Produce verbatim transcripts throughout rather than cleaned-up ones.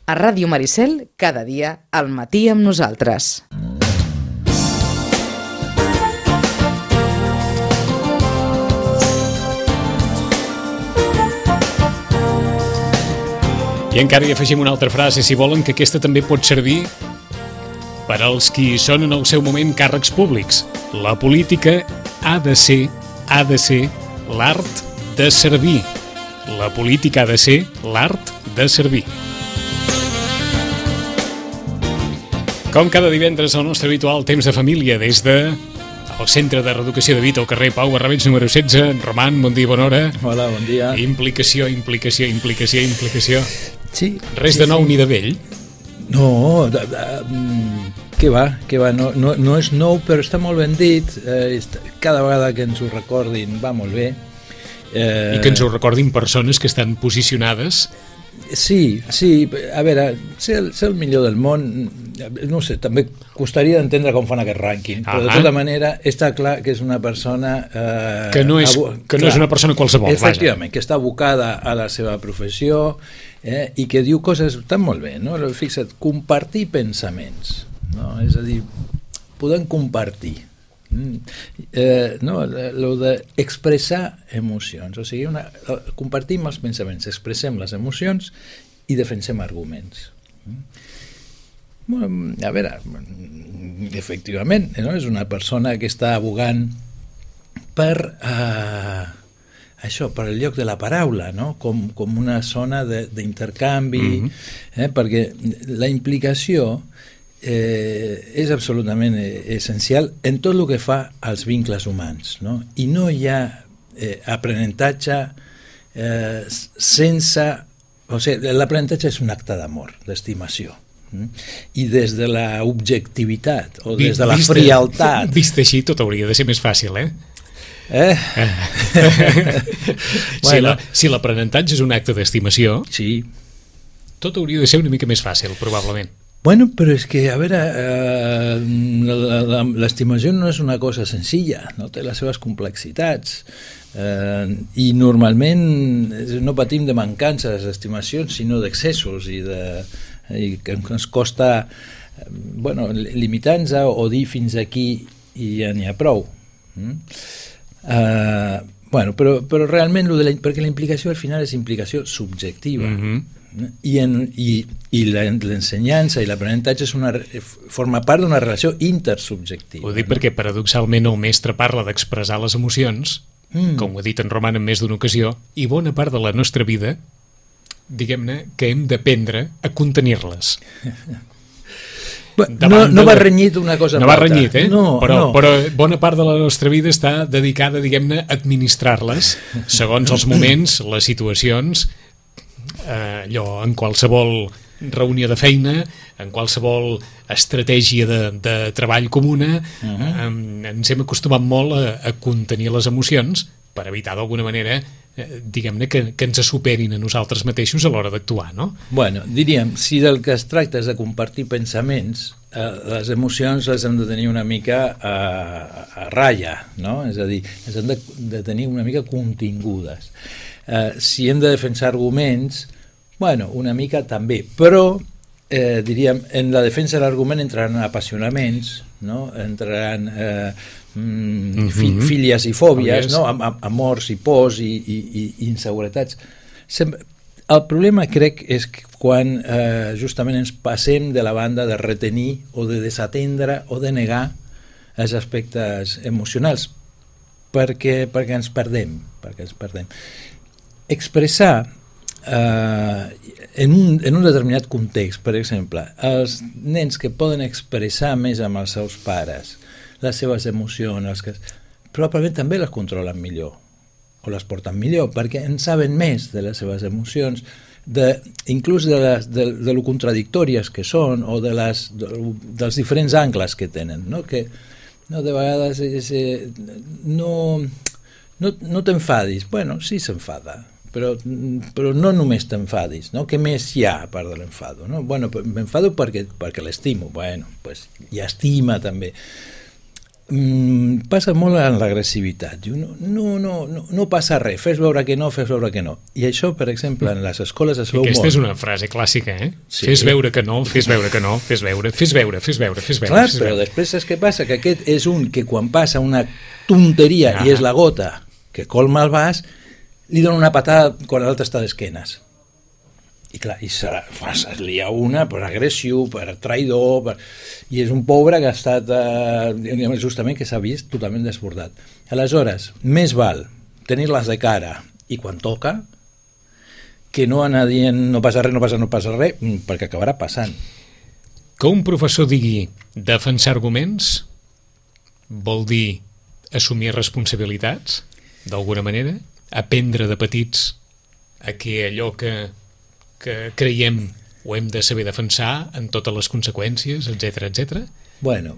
A Ràdio Maricel, cada dia, al matí amb nosaltres. I encara hi afegim una altra frase, si volen, que aquesta també pot servir per als qui són en el seu moment càrrecs públics. La política ha de ser, ha de ser l'art de servir. La política ha de ser l'art de servir. Com cada divendres, el nostre habitual temps de família des de el Centre de Reeducació de Vita al carrer Pau Barrabets número setze. Roman, bon dia, bona hora. Hola, bon dia. Implicació, implicació, implicació, implicació. Sí. Res sí, de nou sí. ni de vell. No, de, de, què va, què va, no, no, no és nou, però està molt ben dit. Eh, cada vegada que ens ho recordin va molt bé. Eh... I que ens ho recordin persones que estan posicionades. Sí, sí, a veure, ser el, ser el millor del món, no sé, també costaria d'entendre com fan aquest rànquing, però de tota manera està clar que és una persona... Eh, que no és, abu- que no clar, és una persona qualsevol. Efectivament, vaja. Que està abocada a la seva professió eh, i que diu coses tan molt bé, no? Fixa't, compartir pensaments, no? És a dir, podem compartir. Eh, no, lo de expressar emocions, o sigui, una, compartim els pensaments, expressem les emocions i defensem arguments. Bueno, a veure, efectivament, no? És una persona que està abogant per eh, això, per el lloc de la paraula, no? com, com una zona d'intercanvi, mm-hmm. eh? Perquè la implicació Eh, és absolutament essencial en tot el que fa als vincles humans, no? I no hi ha eh, aprenentatge eh, sense... O sigui, l'aprenentatge és un acte d'amor, d'estimació. Mm? I des de la objectivitat o des de la vist, frialtat... Vist així, tot hauria de ser més fàcil, eh? Eh? Si la, si l'aprenentatge és un acte d'estimació, sí. Tot hauria de ser una mica més fàcil, probablement. Bueno, però és que, a veure, eh, l'estimació no és una cosa senzilla, no? Té les seves complexitats eh, i normalment no patim de mancances d'estimacions, sinó d'excessos i, de, i que ens costa bueno, limitar-nos o dir fins aquí i ja n'hi ha prou. Mm? Eh, bueno, però, però realment, lo de la, perquè la implicació al final és implicació subjectiva. Mm-hmm. I, en, i, i l'ensenyança i l'aprenentatge és una, forma part d'una relació intersubjectiva. Ho dic, no? Perquè paradoxalment el mestre parla d'expressar les emocions, mm. com ho ha dit en Roman en més d'una ocasió, i bona part de la nostra vida, diguem-ne, que hem d'aprendre a contenir-les. No, no va renyit una cosa no va renyit, eh? No, però, no. però bona part de la nostra vida està dedicada, diguem-ne, a administrar-les segons els moments, les situacions, eh, allò, en qualsevol reunió de feina, en qualsevol estratègia de, de treball comuna, uh-huh. eh, ens hem acostumat molt a, a contenir les emocions per evitar d'alguna manera eh, diguem-ne que, que ens superin a nosaltres mateixos a l'hora d'actuar, no? Bueno, diríem, si del que es tracta és de compartir pensaments, eh, les emocions les hem de tenir una mica a, a ratlla, no? És a dir, les hem de, de tenir una mica contingudes. Eh, si hem de defensar arguments, bueno, una mica també, però eh, diríem, en la defensa de l'argument entraran apassionaments, no? Entraran eh, mm, fi, fílies i fòbies, no? Am, am, amors i pors i, i, i, i inseguretats. Sem- el problema crec és que quan eh, justament ens passem de la banda de retenir o de desatendre o de negar els aspectes emocionals perquè, perquè ens perdem, perquè ens perdem. Expressar eh, en, un, en un determinat context, per exemple, els nens que poden expressar més amb els seus pares les seves emocions, els que, probablement també les controlen millor o les porten millor, perquè en saben més de les seves emocions, de, inclús de, les, de, de lo contradictòries que són o de les, de, dels diferents angles que tenen, no? Que no, de vegades és, eh, no, no, no t'enfadis. Bueno, sí s'enfada, però, però no només t'enfadis, no? Què més hi ha a part de l'enfado? No? Bueno, m'enfado perquè, perquè l'estimo, bueno, pues, i estima també. mm, passa molt en l'agressivitat. Diu, no, no, no, no, no passa res, fes veure que no, fes veure que no. I això, per exemple, en les escoles es veu molt. Aquesta és una frase clàssica, eh? Sí. Fes veure que no, fes veure que no, fes veure, fes veure, fes veure, fes veure. Clar, fes però veure. després saps què passa? Que aquest és un que quan passa una tonteria Ah. i és la gota que colma el vas, li dona una patada quan l'altre està d'esquenes. I clar, i serà, es lia una per agressiu, per traïdor, per... i és un pobre que ha estat eh, justament que s'ha vist totalment desbordat. Aleshores, més val tenir-les de cara i quan toca que no anar dient no passa res, no passa, no passa res, perquè acabarà passant. Que un professor digui defensar arguments vol dir assumir responsabilitats, d'alguna manera, aprendre de petits a que allò que, que creiem ho hem de saber defensar en totes les conseqüències, etcètera, etcètera. Bueno,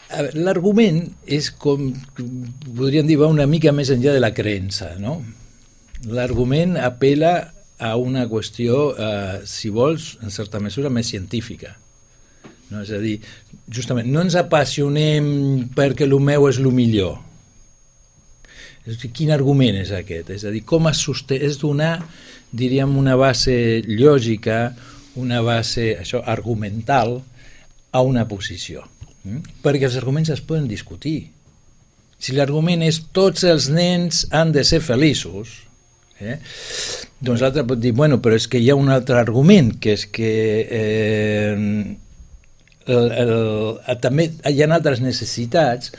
a veure, l'argument és com, podríem dir, va una mica més enllà de la creença, no? L'argument apela a una qüestió, eh, si vols, en certa mesura, més científica. No? És a dir, justament, no ens apassionem perquè el meu és el millor. És a dir, quin argument és aquest? És a dir, com es sosté? És donar, diríem, una base lògica, una base això argumental a una posició. Mm? Perquè els arguments es poden discutir. Si l'argument és tots els nens han de ser feliços, eh? doncs l'altre pot dir, bueno, però és que hi ha un altre argument, que és que eh, el, el, el, també hi ha altres necessitats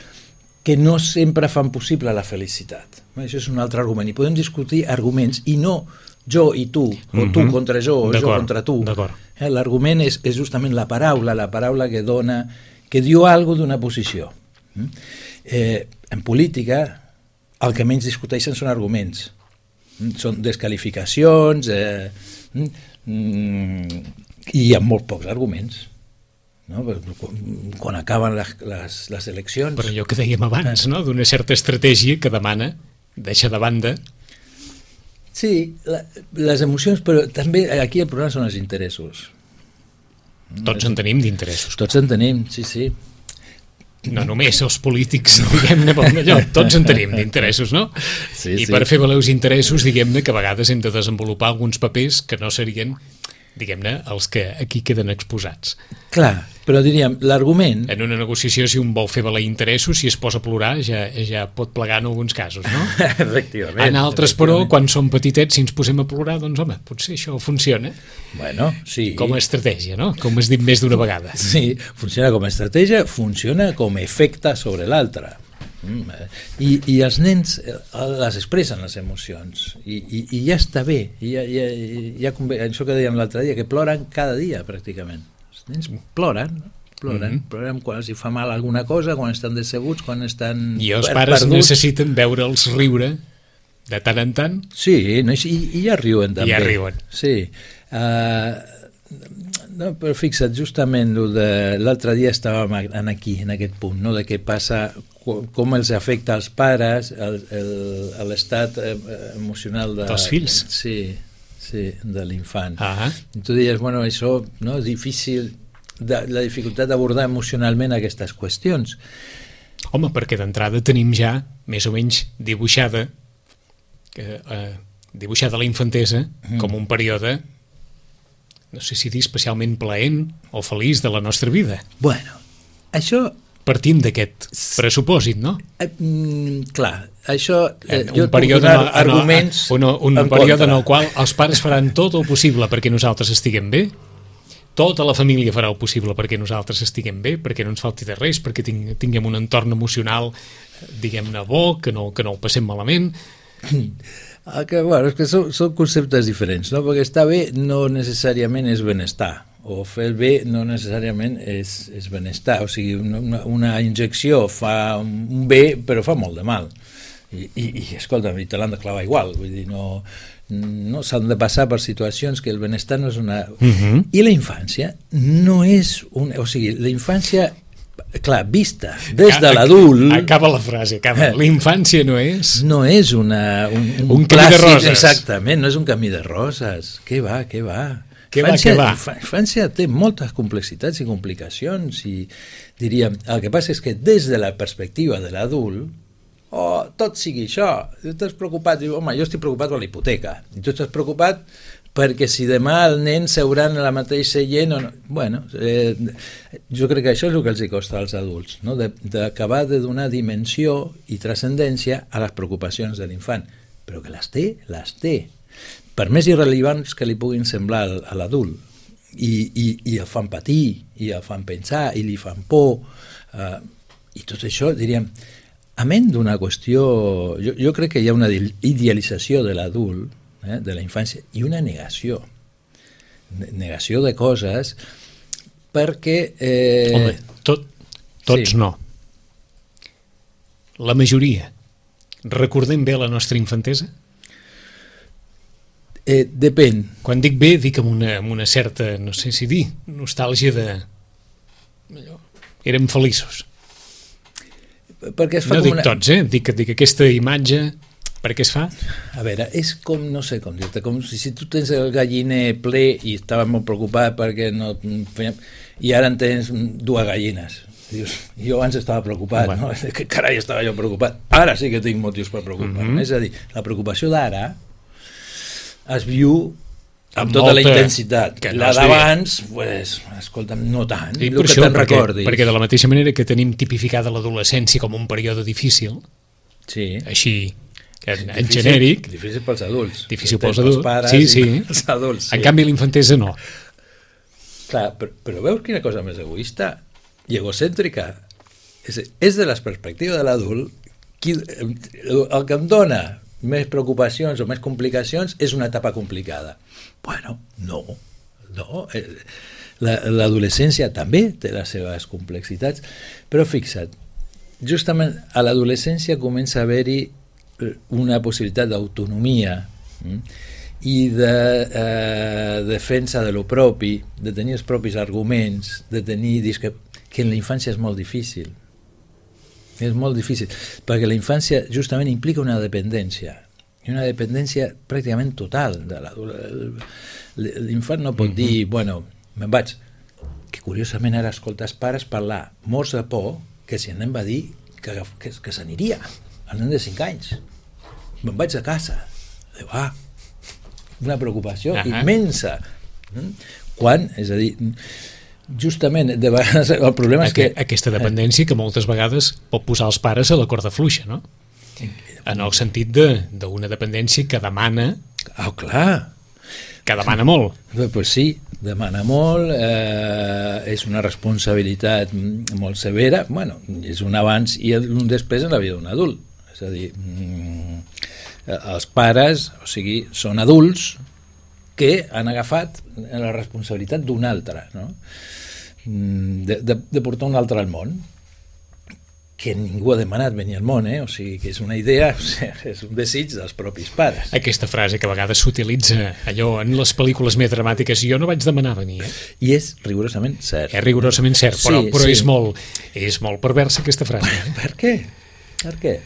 que no sempre fan possible la felicitat. Això és un altre argument. I podem discutir arguments i no jo i tu, o tu Mhm. contra jo, o jo contra tu. D'acord. Eh, l'argument és, és justament la paraula, la paraula que dona, que diu alguna cosa d'una posició. Mm? Eh, en política, el que menys discuteixen són arguments. Mm? Són desqualificacions, eh, mm, i hi ha molt pocs arguments. No? Quan, quan acaben les, les, les eleccions... Per allò que dèiem abans, no? D'una certa estratègia que demana deixar de banda. Sí, la, les emocions, però també aquí el problema són els interessos. Tots en tenim d'interessos. Tots en tenim, sí, sí. No només els polítics, diguem-ne, allò, tots en tenim d'interessos, no? Sí, I sí. per fer valer els interessos, diguem-ne, que a vegades hem de desenvolupar alguns papers que no serien, diguem-ne, els que aquí queden exposats. Clar, però diríem, l'argument... En una negociació, si un vol fer valer interessos, si es posa a plorar, ja, ja pot plegar en alguns casos, no? Efectivament. En altres, però, quan som petitets, si ens posem a plorar, doncs, home, potser això funciona Bueno, sí. com a estratègia, no? Com has dit més d'una vegada. Sí, funciona com a estratègia, funciona com a efecte sobre l'altre. Mm, eh, I, I els nens eh, les expressen, les emocions, i, i, i ja està bé. I ja, ja, ja convé, això que dèiem l'altre dia, que ploren cada dia, pràcticament. Els nens ploren, no? Ploren, Mm-hmm. ploren quan els hi fa mal alguna cosa, quan estan decebuts, quan estan I els per- pares perduts. necessiten veure'ls riure de tant en tant. Sí, no, i, i ja riuen també. Ja riuen. Sí. Uh, no, però fixa't, justament lo de l'altre dia estàvem en aquí, en aquest punt, no? De què passa, com els afecta als pares, el, el, l'estat eh, emocional de, Dels fills. Sí, sí, de l'infant. Ah. I tu diries, bueno, això no, és difícil, de, la dificultat d'abordar emocionalment aquestes qüestions. Home, perquè d'entrada tenim ja més o menys dibuixada eh, eh, dibuixada la infantesa mm. com un període, no sé si dir especialment plaent o feliç de la nostra vida. Bueno, això... Partint d'aquest pressupòsit, no? Eh, mm, clar, això... Eh, un jo et puc període donar en el, arguments un, un en període contra. en el qual els pares faran tot el possible perquè nosaltres estiguem bé, tota la família farà el possible perquè nosaltres estiguem bé, perquè no ens falti de res, perquè ting, tinguem un entorn emocional, diguem-ne, bo, que no, que no el passem malament. Ah, que, bueno, és que són, són conceptes diferents, no? Perquè estar bé no necessàriament és benestar, o fer el bé no necessàriament és, és benestar, o sigui, una, una injecció fa un bé però fa molt de mal, i, i, i escolta, i te l'han de clavar igual, vull dir, no, no s'han de passar per situacions que el benestar no és una... Uh-huh. I la infància no és una... O sigui, la infància, clar, vista des de l'adult... Acaba la frase, acaba. La infància no és... No és una, un, un, Un camí de clàssic, roses. Exactament, no és un camí de roses. Què va, què va? Què va, què va? La infància té moltes complexitats i complicacions i diríem, el que passa és que des de la perspectiva de l'adult, oh, tot sigui això, tu estàs preocupat, diu, home, jo estic preocupat per la hipoteca, i tu estàs preocupat perquè si demà el nen seuran a la mateixa seient o no. Bueno, eh, jo crec que això és el que els costa als adults, no? D'acabar de, de donar dimensió i transcendència a les preocupacions de l'infant, però que les té, les té, per més irrellevants que li puguin semblar a l'adult, i, i, i el fan patir, i el fan pensar, i li fan por, eh, i tot això, diríem, amén d'una qüestió, jo, jo crec que hi ha una idealització de l'adult, eh, de la infància, i una negació, negació de coses, perquè... Eh, Home, tot, tots sí. no. La majoria. Recordem bé la nostra infantesa? Eh, depèn. Quan dic bé, dic amb una, amb una certa, no sé si dir, nostàlgia de... Allò. Érem feliços. Perquè es fa no com dic una... tots, eh? Dic, dic aquesta imatge, per què es fa? A veure, és com, no sé com dir-te, com si, si tu tens el galliner ple i estaves molt preocupat perquè no... i ara en tens dues gallines. Dius, jo abans estava preocupat, bueno. no? Que carai estava jo preocupat. Ara sí que tinc motius per preocupar-me. Mm-hmm. És a dir, la preocupació d'ara es viu amb, amb tota molta... la intensitat. La no d'abans, pues, escolta'm, no tant, I el per que això, te'n perquè, recordis. perquè de la mateixa manera que tenim tipificada l'adolescència com un període difícil, sí. així, en, en difícil, genèric... Difícil pels adults. Difícil pels adults, pares sí, sí. Els adults, sí. En canvi, l'infantesa no. Clar, però, però veus quina cosa més egoista i egocèntrica? És, és de la perspectiva de l'adult, qui, el que em dona més preocupacions o més complicacions és una etapa complicada. Bueno, no, no. L'adolescència també té les seves complexitats, però fixa't, justament a l'adolescència comença a haver-hi una possibilitat d'autonomia i de eh, defensa de lo propi, de tenir els propis arguments, de tenir discre... que en la infància és molt difícil. És molt difícil, perquè la infància justament implica una dependència, i una dependència pràcticament total de l'adult. L'infant no pot mm-hmm. dir, bueno, me'n vaig, que curiosament ara escolta els pares parlar morts de por, que si el nen va dir que, que, que s'aniria, el nen de cinc anys. Me'n vaig a casa. Diu, ah, una preocupació uh-huh. immensa. Quan, és a dir... Justament, de vegades el problema és que... Aquesta dependència que moltes vegades pot posar els pares a la corda fluixa, no? En el sentit d'una de, dependència que demana... Ah, clar! Que demana molt. Doncs pues sí, demana molt, eh, és una responsabilitat molt severa, bueno, és un abans i un després en la vida d'un adult. És a dir, els pares, o sigui, són adults que han agafat la responsabilitat d'un altre, no? De, de, de portar un altre al món, que ningú ha demanat venir al món, eh? O sigui, que és una idea, o sigui, és un desig dels propis pares. Aquesta frase que a vegades s'utilitza allò en les pel·lícules més dramàtiques, jo no vaig demanar venir, eh? I és rigorosament cert. És rigorosament cert, però, sí, però sí. És, molt, és molt perversa aquesta frase. Eh? Per què? Per què?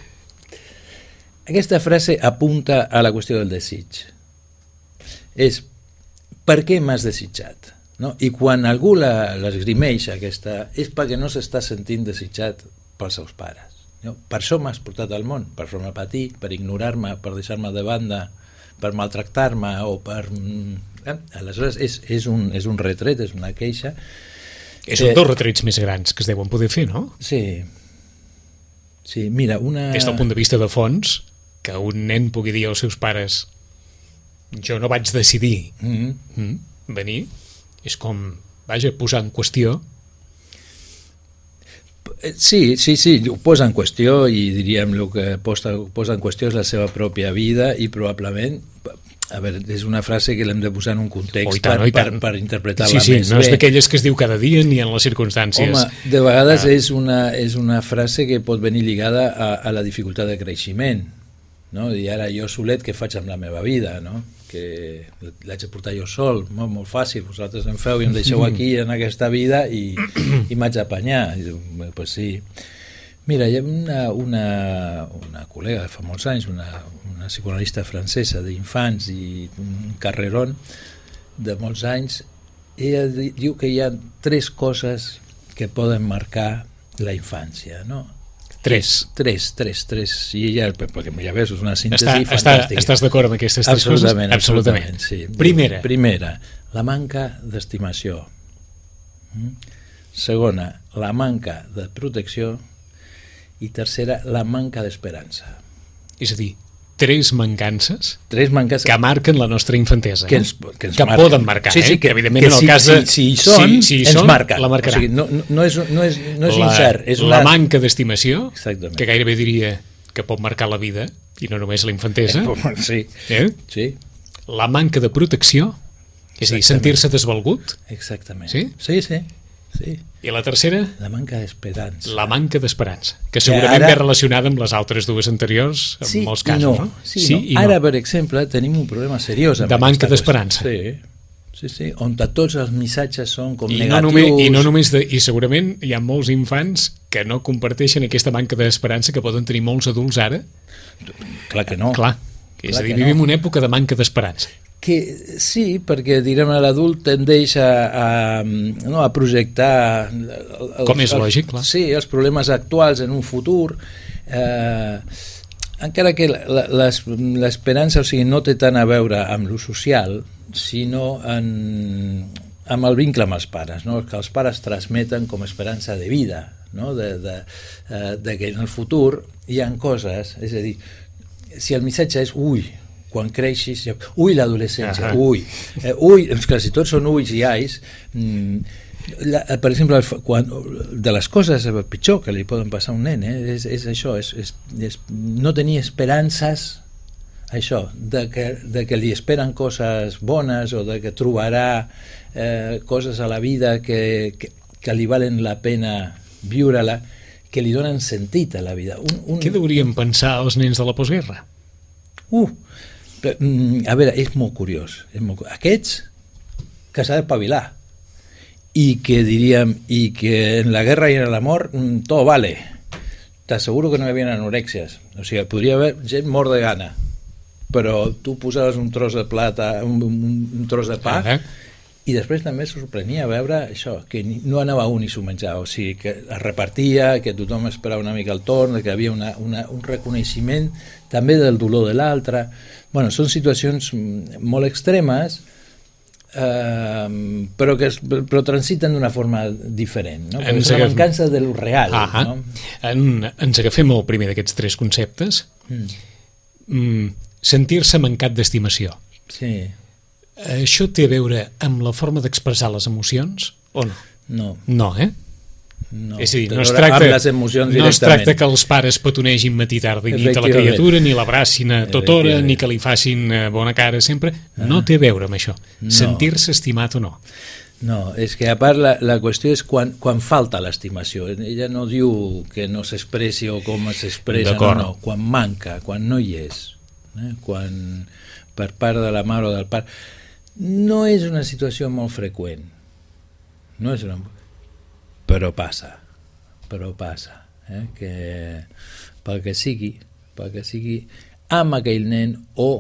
Aquesta frase apunta a la qüestió del desig. És, per què m'has desitjat? No? I quan algú l'esgrimeix aquesta, és perquè no s'està sentint desitjat pels seus pares. No? Per això m'has portat al món, per fer-me patir, per ignorar-me, per deixar-me de banda, per maltractar-me o per... Eh? Aleshores és, és, un, és un retret, és una queixa. És un dels retrets més grans que es deuen poder fer, no? Sí. Sí, mira, una... Des del punt de vista de fons, que un nen pugui dir als seus pares jo no vaig decidir mm-hmm. mm, venir, és com, vaja, posar en qüestió. Sí, sí, sí, ho posa en qüestió i diríem el que posa, posa en qüestió és la seva pròpia vida i probablement, a veure, és una frase que l'hem de posar en un context oh, tant, per, per, per interpretar-la sí, sí, més no bé. És d'aquelles que es diu cada dia ni en les circumstàncies. Home, de vegades ah. és, una, és una frase que pot venir lligada a, a la dificultat de creixement, no? I ara jo solet què faig amb la meva vida, no? Que l'haig de portar jo sol, molt, molt fàcil, vosaltres em feu i em deixeu aquí en aquesta vida i, i m'haig d'apanyar. I diu, pues sí. Mira, hi ha una, una, una col·lega de fa molts anys, una, una psicoanalista francesa d'infants i un carrerón, de molts anys, ella diu que hi ha tres coses que poden marcar la infància, no? Tres. Tres, tres, tres. I ella, perquè ja veus, és una síntesi està, fantàstica. Està, estàs d'acord amb aquestes tres absolutament, coses? Absolutament, sí. Primera. Primera, la manca d'estimació. Segona, la manca de protecció. I tercera, la manca d'esperança. És a dir, tres mancances, tres mancances que marquen la nostra infantesa, que, no? ens, que, ens que marquen. poden marcar, sí, sí, eh? que, que evidentment que en el si, cas de... si, si hi són, si, si hi ens són, marquen. La marcarà. O sigui, no, no és, no és, no és la, incert. És la una... manca d'estimació, Exactament. que gairebé diria que pot marcar la vida, i no només la infantesa. Sí. Eh? Sí. La manca de protecció, és a dir, sentir-se desvalgut. Exactament. Sí? Sí, sí. sí. I la tercera? La manca d'esperança. La manca d'esperança, que segurament ara... ve relacionada amb les altres dues anteriors, en sí, molts casos, no. no? Sí, sí no. I ara, no. per exemple, tenim un problema seriós de manca d'esperança. Sí, sí, sí, on tots els missatges són com I negatius. No només, I no només de, i segurament hi ha molts infants que no comparteixen aquesta manca d'esperança que poden tenir molts adults ara. Clar que no. Clar, és Clar a dir, vivim no. una època de manca d'esperança. Que sí, perquè direm l'adult tendeix a, a, no, a projectar els, com és lògic, clar. Sí, els problemes actuals en un futur, eh, encara que l'esperança, o sigui, no té tant a veure amb lo social, sinó en, amb el vincle amb els pares, no? Que els pares transmeten com esperança de vida, no? de, de, de que en el futur hi ha coses, és a dir, si el missatge és ui, quan creixis, ui, l'adolescència, uh -huh. ui, eh, ui, clar, si tots són uis i ais, mm, la, per exemple, quan, de les coses pitjor que li poden passar a un nen, eh, és, és això, és, és, és no tenir esperances, això, de que, de que li esperen coses bones o de que trobarà eh, coses a la vida que, que, que li valen la pena viure-la, que li donen sentit a la vida. Un, un... Què deurien pensar els nens de la postguerra? Uh, a veure, és molt curiós, és molt curiós. Aquests que s'ha d'espavilar i que diríem i que en la guerra i en l'amor tot vale, t'asseguro que no hi havia anorèxies, o sigui, podria haver gent mort de gana, però tu posaves un tros de plata, un, un, un tros de pa, uh -huh. i després també sorprenia veure això, que no anava un i s'ho menjava, o sigui, que es repartia, que tothom esperava una mica el torn, que hi havia una, una, un reconeixement també del dolor de l'altre. Bueno, són situacions molt extremes, eh, però que es, però transiten d'una forma diferent, no? Perquè és una mancança de lo real. Ah, no? En, ens agafem el primer d'aquests tres conceptes. Mm. Mm, sentir-se mancat d'estimació. Sí. Això té a veure amb la forma d'expressar les emocions o no? No. No, eh? No, és a dir, no es tracta, les emocions no es tracta que els pares petonegin matí, tarda i nit a la criatura, ni l'abracin a tota hora, ni que li facin bona cara sempre. No té a veure amb això. No. Sentir-se estimat o no. No, és que a part la, la qüestió és quan, quan falta l'estimació. Ella no diu que no s'expressi o com s'expressa, no, no. Quan manca, quan no hi és. Eh? Quan per part de la mare o del pare. No és una situació molt freqüent. No és una... Però passa. Però passa. Eh? Que pel que sigui, pel que sigui, amb aquell nen o,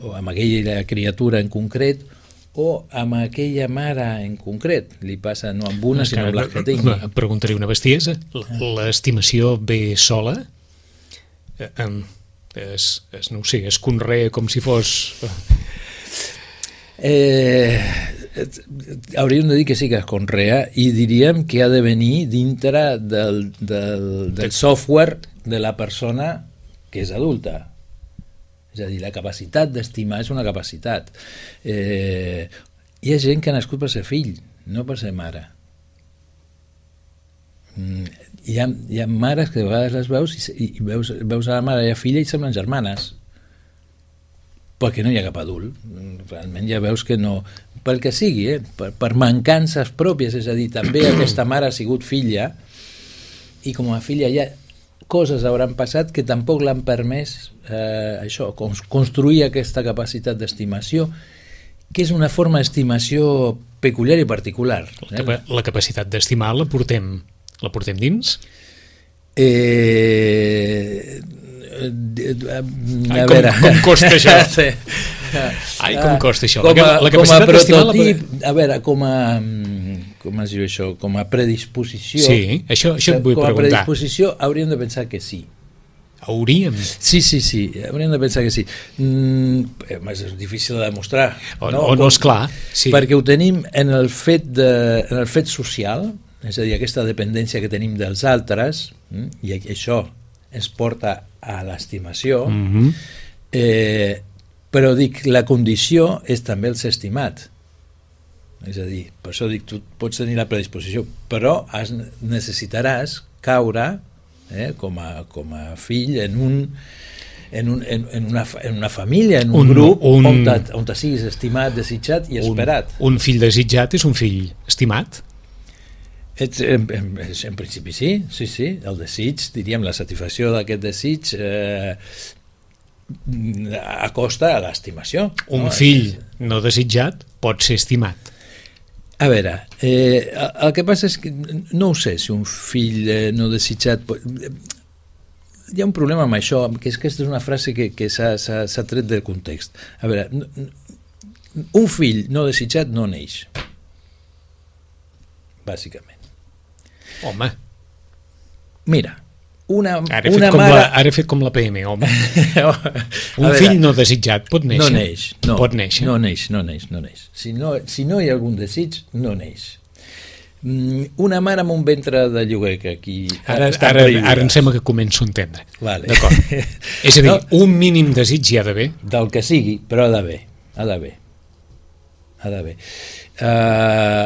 o amb aquella criatura en concret o amb aquella mare en concret. Li passa no amb una, sinó amb les que tingui. Et preguntaré una bestiesa. L'estimació ve sola? Es, es, no ho sé, es conrea com si fos... Eh, hauríem de dir que sí que es conrea i diríem que ha de venir dintre del, del, del software de la persona que és adulta. És a dir, la capacitat d'estimar és una capacitat. Eh, hi ha gent que ha nascut per ser fill, no per ser mare. Hi ha, hi ha mares que de vegades les veus i, i veus, veus a la mare i a la filla i semblen germanes, perquè no hi ha cap adult. Realment ja veus que no, pel que sigui, eh? per, per mancances pròpies, és a dir, també aquesta mare ha sigut filla i com a filla ja coses hauran passat que tampoc l'han permès eh, això, construir aquesta capacitat d'estimació, que és una forma d'estimació peculiar i particular. Eh? La, la capacitat d'estimar la portem la portem dins? Eh, Ai, com, com costa això? Sí. Ai, com costa això? Com a, La, la com a prototip, la... a veure, com a, com es diu això, com a predisposició, sí, això, això et vull com a preguntar. predisposició hauríem de pensar que sí. Hauríem? Sí, sí, sí, hauríem de pensar que sí. Mm, és difícil de demostrar. O no, o no és clar. Sí. Perquè ho tenim en el fet, de, en el fet social, és a dir, aquesta dependència que tenim dels altres, i això ens porta a l'estimació, mm-hmm. eh, però dic, la condició és també el ser estimat. És a dir, per això dic, tu pots tenir la predisposició, però has, necessitaràs caure eh, com, a, com a fill en un en, un, en, en, una, en una família, en un, un grup un, on, te, on te siguis estimat, desitjat i esperat. Un, un fill desitjat és un fill estimat? Ets, en, en, en principi sí, sí, sí, el desig, diríem, la satisfacció d'aquest desig eh, acosta a l'estimació. Un no? fill no desitjat pot ser estimat. A veure, eh, el que passa és que no ho sé si un fill eh, no desitjat pot... Hi ha un problema amb això, que és que aquesta és una frase que, que s'ha tret del context. A veure, un fill no desitjat no neix, bàsicament. Home. Mira, una, ara, una com mare... la, ara he fet com la P M, home. Un veure, fill no desitjat pot néixer? No neix, no. Pot néixer? No neix, no neix, no neix. Si no, si no hi ha algun desig, no neix. Una mare amb un ventre de lloguer que aquí... Ara, ara, ara em sembla que començo a entendre. Vale. D'acord. És a dir, no, un mínim desig hi ha d'haver? Del que sigui, però ha d'haver. Ha d'haver. Ha d'haver. Uh,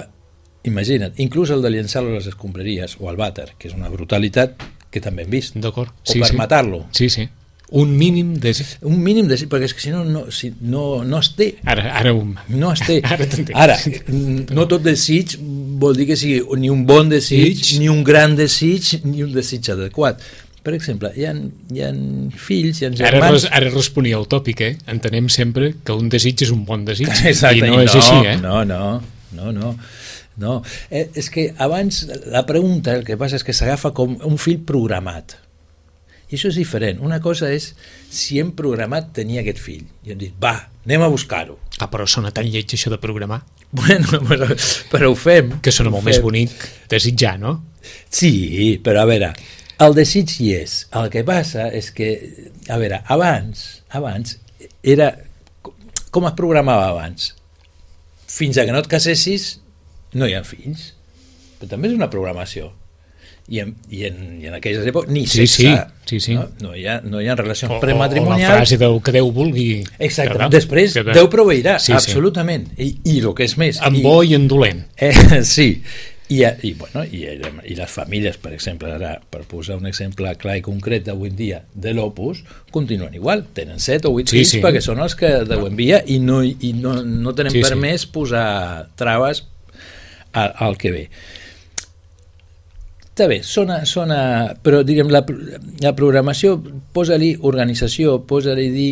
imagina't, inclús el de llançar-lo a les escombraries o al vàter, que és una brutalitat que també hem vist. D'acord. O sí, per sí. matar-lo. Sí, sí. Un mínim desig. Un mínim desig, perquè és que si no, no, si, no, no es té. Ara, ara, un... no es té. Ara t'entenc. Ara, no tot desig vol dir que sigui ni un bon desig, Desig. ni un gran desig, ni un desig adequat. Per exemple, hi ha, hi ha fills, hi ha Ara, germans... res, ara responia el tòpic, eh? Entenem sempre que un desig és un bon desig. Exacte, i no és no, així, eh? No, no, no, no. no. Eh, és que abans la pregunta, el que passa és que s'agafa com un fill programat. I això és diferent. Una cosa és si hem programat tenir aquest fill. I hem dit, va, anem a buscar-ho. Ah, però sona tan lleig això de programar. Bueno, però, però ho fem. Que sona molt més bonic desitjar, no? Sí, però a veure, el desig hi és. El que passa és que, a veure, abans, abans era... Com es programava abans? Fins a que no et casessis no hi ha fills. Però també és una programació. I en, i en, i en aquelles èpoques ni sí, sexe. Sí, sí, sí. No, no, hi ha, no hi ha relacions o, prematrimonials. O la frase del que Déu vulgui. Exacte. Que, Després, que, Déu proveirà, sí, absolutament. Sí. I, I el que és més... En i, bo i en dolent. Eh, sí. I, i, bueno, i, i les famílies, per exemple, ara, per posar un exemple clar i concret d'avui en dia de l'Opus, continuen igual. Tenen set o vuit sí, fills sí. perquè són els que Déu envia i no, i no, no tenen sí, permès sí. posar traves al, al que ve. Està bé, sona, sona, però diguem, la, la programació, posa-li organització, posa-li dir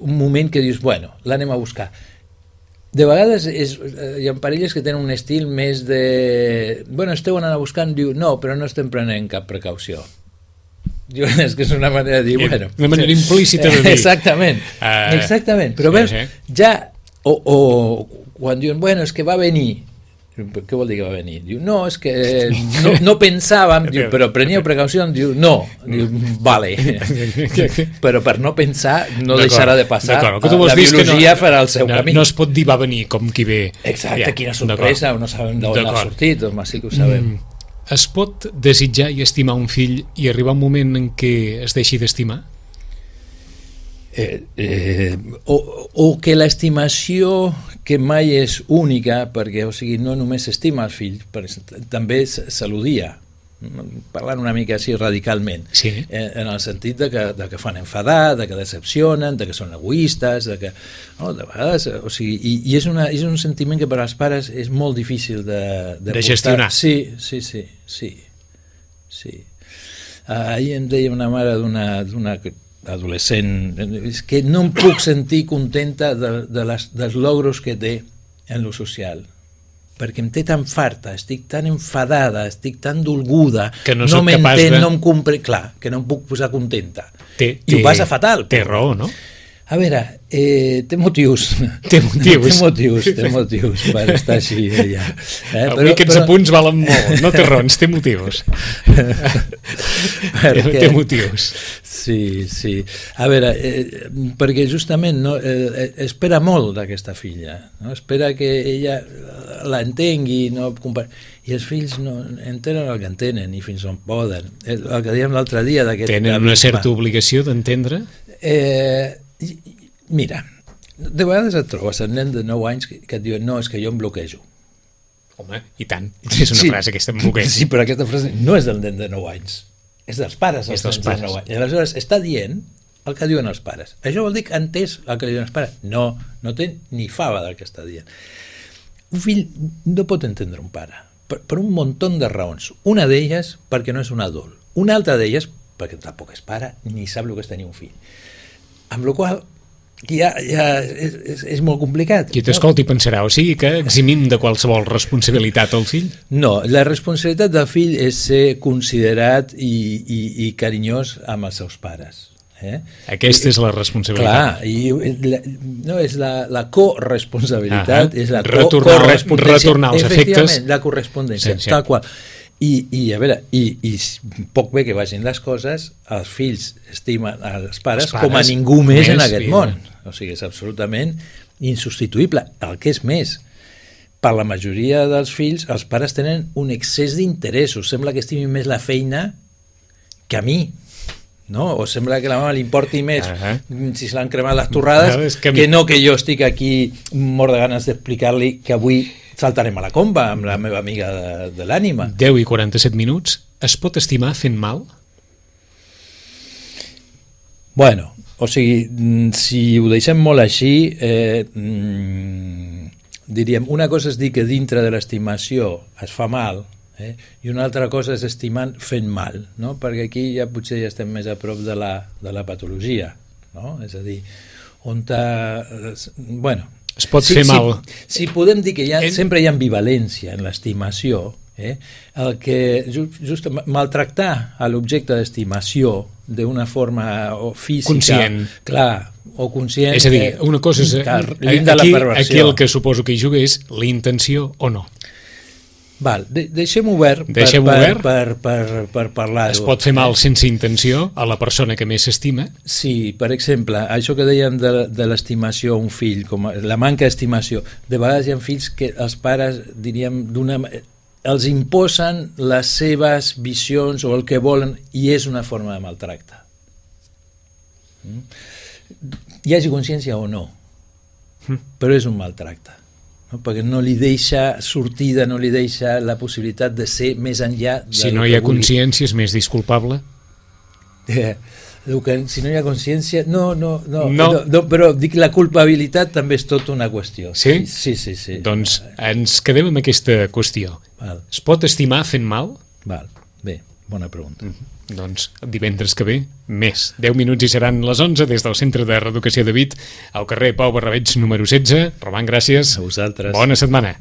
un moment que dius, bueno, l'anem a buscar. De vegades és, hi ha parelles que tenen un estil més de... Bueno, esteu anant a buscar, diu, no, però no estem prenent cap precaució. Diu, és que és una manera de dir, bueno... Una manera implícita de dir. Exactament, uh, exactament. Però sí, veus, sí. ja... O, o quan diuen, bueno, és que va venir... Què vol dir que va venir? Diu, no, és que no, no pensàvem, diu, però preníeu precaució, diu, no, diu, vale, però per no pensar no deixarà de passar, la biologia no, farà el seu no, camí. No es pot dir va venir com qui ve. Exacte, ja, quina sorpresa, no sabem d'on ha sortit, doncs sí que ho sabem. Mm. Es pot desitjar i estimar un fill i arribar un moment en què es deixi d'estimar? Eh, eh, o, o que l'estimació que mai és única, perquè o sigui, no només s'estima el fill, també se l'odia, parlant una mica així radicalment, sí. eh, en el sentit de que, de que fan enfadar, de que decepcionen, de que són egoistes, de que, no, de vegades, o sigui, i, i és, una, és un sentiment que per als pares és molt difícil de, de, de gestionar. Sí, sí, sí, sí, sí. Uh, ahir em deia una mare d'una d'una adolescent, és que no em puc sentir contenta de, de les, dels logros que té en lo social. perquè em té tan farta, estic tan enfadada, estic tan dolguda, que no, no m'entén, de... no em compre... Clar, que no em puc posar contenta. Té, I ho passa fatal. Té raó, no? A veure, eh, té motius. Té motius. té motius, té motius per estar així, ella. Eh? Avui aquests però... apunts valen molt. No té raons, té motius. perquè... Té motius. Sí, sí. A veure, eh, perquè justament no, eh, espera molt d'aquesta filla. No? Espera que ella l'entengui. No? I els fills no entenen el que entenen i fins on poden. El que dèiem l'altre dia d'aquest... Tenen una certa obligació d'entendre? Eh... Mira, de vegades et trobes en nen de nou anys que, que et diuen no, és que jo em bloquejo. Home, i tant. És una sí, frase aquesta, em bloquejo. Sí, però aquesta frase no és del nen de nou anys. És dels pares, els dels nens pares. de nou anys. I aleshores està dient el que diuen els pares. Això vol dir que ha entès el que diuen els pares? No, no té ni fava del que està dient. Un fill no pot entendre un pare per, per un munt de raons. Una d'elles perquè no és un adult. Una altra d'elles perquè tampoc és pare ni sap el que és tenir un fill. Amb la qual ja, ja és, és, és molt complicat. Qui t'escolti pensarà, o sigui que eximim de qualsevol responsabilitat al fill? No, la responsabilitat del fill és ser considerat i, i, i carinyós amb els seus pares. Eh? Aquesta és la responsabilitat. Clar, i la, no, és la, la corresponsabilitat, és la co correspondència. Retornar els efectes. La correspondència, sí, sí. Tal qual. I, i a veure, i, i poc bé que vagin les coses, els fills estimen els pares, els pares com a ningú més, més en aquest vida. Món. O sigui, és absolutament insubstituïble. El que és més, per la majoria dels fills, els pares tenen un excés d'interessos. Sembla que estimin més la feina que a mi. No? O sembla que a la mama li importi més uh -huh. si se l'han cremat les torrades uh -huh, que, que no que jo estic aquí mort de ganes d'explicar-li que avui saltarem a la comba amb la meva amiga de, de l'ànima. deu i quaranta-set minuts. Es pot estimar fent mal? Bueno, o sigui, si ho deixem molt així, eh, mm, diríem, una cosa és dir que dintre de l'estimació es fa mal, eh, i una altra cosa és estimant fent mal, no? Perquè aquí ja potser ja estem més a prop de la, de la patologia, no? És a dir, on ta, bueno, es pot si, fer mal. Si, si podem dir que hi ha, en... sempre hi ha ambivalència en l'estimació, eh? El que just, just maltractar a l'objecte d'estimació d'una forma o física, conscient, clar, o conscient, és a dir, una cosa és aquí, aquí el que suposo que hi juga és la intenció o no. Val, de, deixem obert, deixem per, obert. Per, per, per, per parlar-ho. Es pot fer mal sense intenció a la persona que més s'estima? Sí, per exemple, això que dèiem de, de l'estimació a un fill, com a, la manca d'estimació, de vegades hi ha fills que els pares, diríem, d'una els imposen les seves visions o el que volen i és una forma de maltracte. Mm? Hi hagi consciència o no, mm. però és un maltracte. No? Perquè no li deixa sortida, no li deixa la possibilitat de ser més enllà de si no hi ha consciència és més disculpable? Eh, que, si no hi ha consciència no no, no, no. no, no, però dic la culpabilitat també és tota una qüestió. Sí? Sí, sí, sí. Doncs ens quedem amb aquesta qüestió. Val. Es pot estimar fent mal? Val, bé, bona pregunta. Mm -hmm. Doncs divendres que ve, més. deu minuts i seran les onze des del Centre de Reeducació de Vic, al carrer Pau Barrabeig número setze. Roman, gràcies. A vosaltres. Bona setmana.